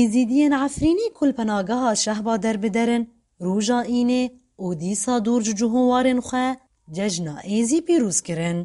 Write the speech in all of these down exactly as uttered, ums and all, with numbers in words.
Êzîdiyên Efrînî ku li penageha Şehba derbider in, roja Înê û dîsa dûr ji cih û warên xwe cejna Êzî pîroz kirin.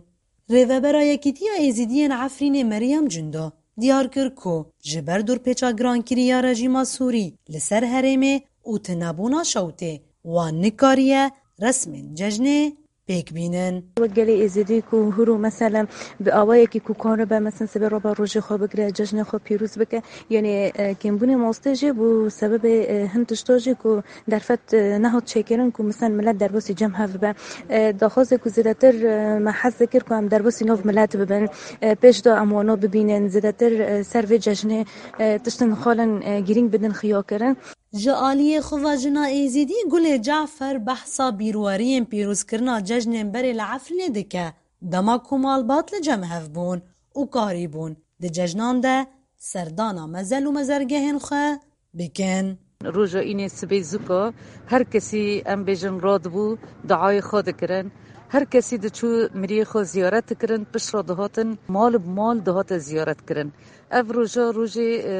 Rêvebera Yekîtiya Êzîdiyên Efrînê Meryem Cindo diyar kir ku ji ber dorpêça girankirî ya rejîma Sûrî li ser herêmê û tunebûna şewtê wan nikariye resmên cejnê pêk bînin. Wek gelê Êzidî ku hûr û mesele bi awayekî ku karibe, mesela, sibê raba rojê xwe bigire, cejnê xwe pîroz bike. Yanî, e, kêmbûnê mastê jî bû sebebê, e, hin tişta jî ku derfet, e, nehat çêkirin ku, mesela, milet derbasî cem hev bibe. E, daxwazê ku zêdetir, e, me hez dikir ku em derbasî nav milet bibin. E, pêş de em wana bibînin, zêdetir, e, ser vê cejnê, e, tiştin xalin, e, girîng bidin xiyakirin. Ji aliyê xwe ve jina Êzîdî Gulê Cafer behsa bîrweriyên pîrozkirina cejnên berê li Efrînê dike, dema ku malbat li cem hev bûn û karîbûn di cejnan de serdana mezel û mezergehên xwe bikin. Roja Înê sibê zûka her kesî, em bêjin, radibû, duayê xwe dikirin. Her kesî diçû miriyê xwe ziyaret dikirin, pişt re dihatin mal bi mal dihate ziyaret kirin. Ev roja, rojê, e,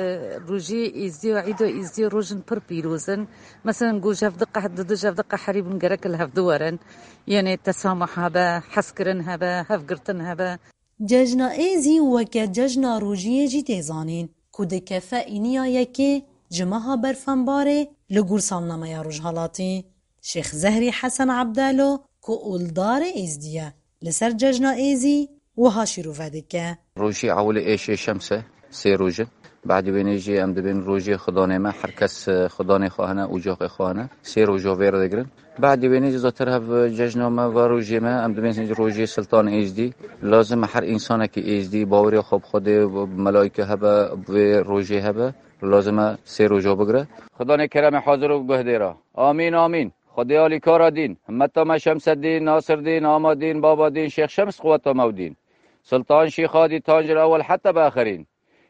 rojê Êzdiya, Îda Êzdiya rojin pir pîroz in. Meselen, ku ji hev diqe-, di du ji hev diqeherîbûn gerek li hev diwerin. Yanî tesamuh hebe, hezkirin hebe, hevgirtin hebe. Cejna Êzî weke cejna rojiyê jî tê zanîn, ku dikefe Îniya yekê ji meha Berfenbarê li gor salnameya Rojhalatî. Şêx Zehrî Hesen Ebdelo, ku oldarê Êzdî ye, li ser cejna Êzî wiha şîrove dike. Rojî ewilê êşê şems e, sê roj e. Badî wênê jî em dibên rojê xudanê me, her kes, e, xudanê xwe hene, ocaxê xwe hene. Sê roja vê re digirin. Badî wênê jî zatir hev cejna me, va rojê me, em dibên rojê Siltan Êzdî. Lazim e her însanekî Êzdî bawerê xwe bi Xwedê, bi melaîke hebe, bi vê rojê hebe. Lazim e sê roja bigire. Xudanê keremê hazir û guhdêra. Amîn, amîn. Xwedê alîkara dîn, himmeta me Şemseddîn, Nasirdîn, Amadîn, Babadîn, Şêx Şems, quweta me û dîn. Siltan Şîxadî, tancil ewel heta bi axirîn.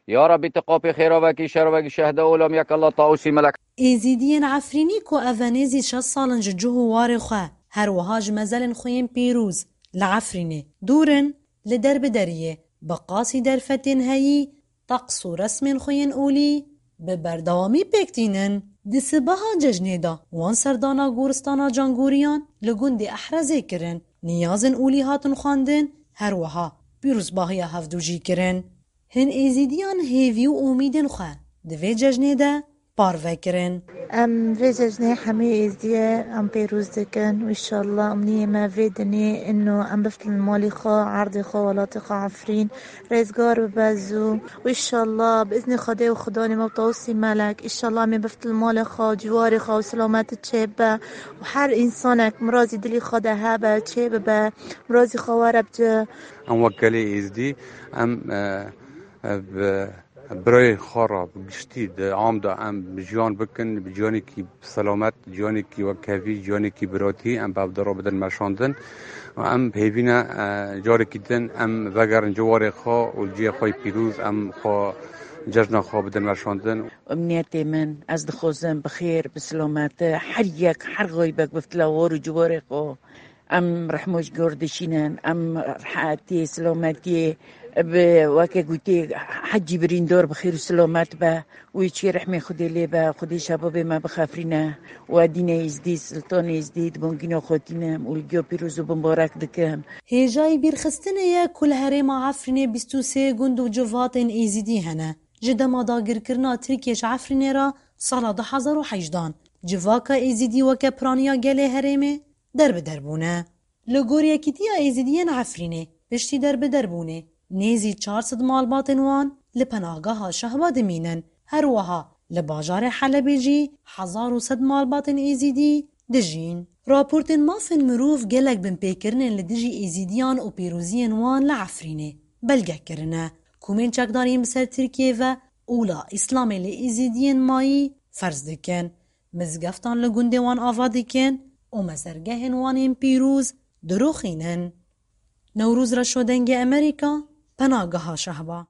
Ya Rabbî, tu qapê xêra vekî, şer vekî, şehda olam yek Allah, Tausî Melek. Êzîdiyên Efrînî ku ev e nêzî şeş sal in ji cih û warê xwe, her wiha ji mezelên xwe yên pîroz li Efrînê dûr in, li derbideriyê bi qasî derfetên heyî, teqs û resmên xwe yên olî bi berdewamî pêk tînin. Di sibeha cejnê de wan serdana goristana Cangoriyan li gundê Ehrezê kirin, niyazên olî hatin xwendin, her wiha pîrozbahiya hevdû jî kirin. Hin Êzîdiyan hêvî û umîdên xwe di vê cejnê de parve kirin. Em vê cejnê hemî Êzdiye em pêroz dikin û înşallah umniyê me vê dinê ino em biftin malê xwe, erdê xwe, welatê xwe Efrîn rêzgar bibe zû û înşallah bi îznê Xwedê û Xudanê me û Tawusî Melek, înşallah em ê biftin malê xwe, ciwarê xwe û silametî çêbibe û her însanek mirazî dilî xwe de hebe çêbibe, mirazî xwe were bi cih. Em wek gelê Êzdî, em, e, e, bi birayê xwe re bi giştî di am de em jiyan bikin, bi jiyanekî selamet, jiyanekî wekhevî, jiyanekî biratî em bi hev de re bidin meşandin. Em hêvî ne, e, carekî din em vegerin ciwarê xwe û cihê xwe yê pîroz em xwe cejna xwe bidin meşandin. Emniyetê min, ez dixwazim bi xêr, bi silameti her yek, her xeybek bifte lawar û ciwarê xwe. Em rehmo ji gor dişînin, em rehetiyê, silametiyê bi, weke gotê, hecî birîndar bi xêr û silamet be û çê rehmê Xwedê lê be, Xwedê şebabê me bixefrîne û Edîne Êzdî, Siltan Êzdî di bangîna xwe tînim û li giya pîroz û bimbarek dikim. Hêjayî bîrxistinê ye ku li herêma Efrînê bîst û sê gund û civatên Êzîdî hene. Ji dema dagirkirina Tirkiyê ji Efrînê re sala du hezar û hejdan civaka Êzîdî weke piraniya gelê herêmê derbider bûne. Li gor Yekîtiya Êzîdiyên Efrînê, piştî derbiderbûnê, nêzî çar sed malbatên wan li penageha Şehba dimînin. Her wiha li bajarê Helebê jî hezar û sed malbatên Êzîdî dijîn. Raportên mafên mirov gelek binpêkirinên li dijî Êzîdiyan û pîroziyên wan li Efrînê belge kirine. Komên çekdariyên bi ser Tirkiyê ve ola Îslamê li Êzîdiyên mayî ferz dikin. Mizgeftan li gundê wan ava dikin û mezergehên wan ên pîroz diroxînin. Newroz Reşo, Dengê Amerîka, Penageha Şehba.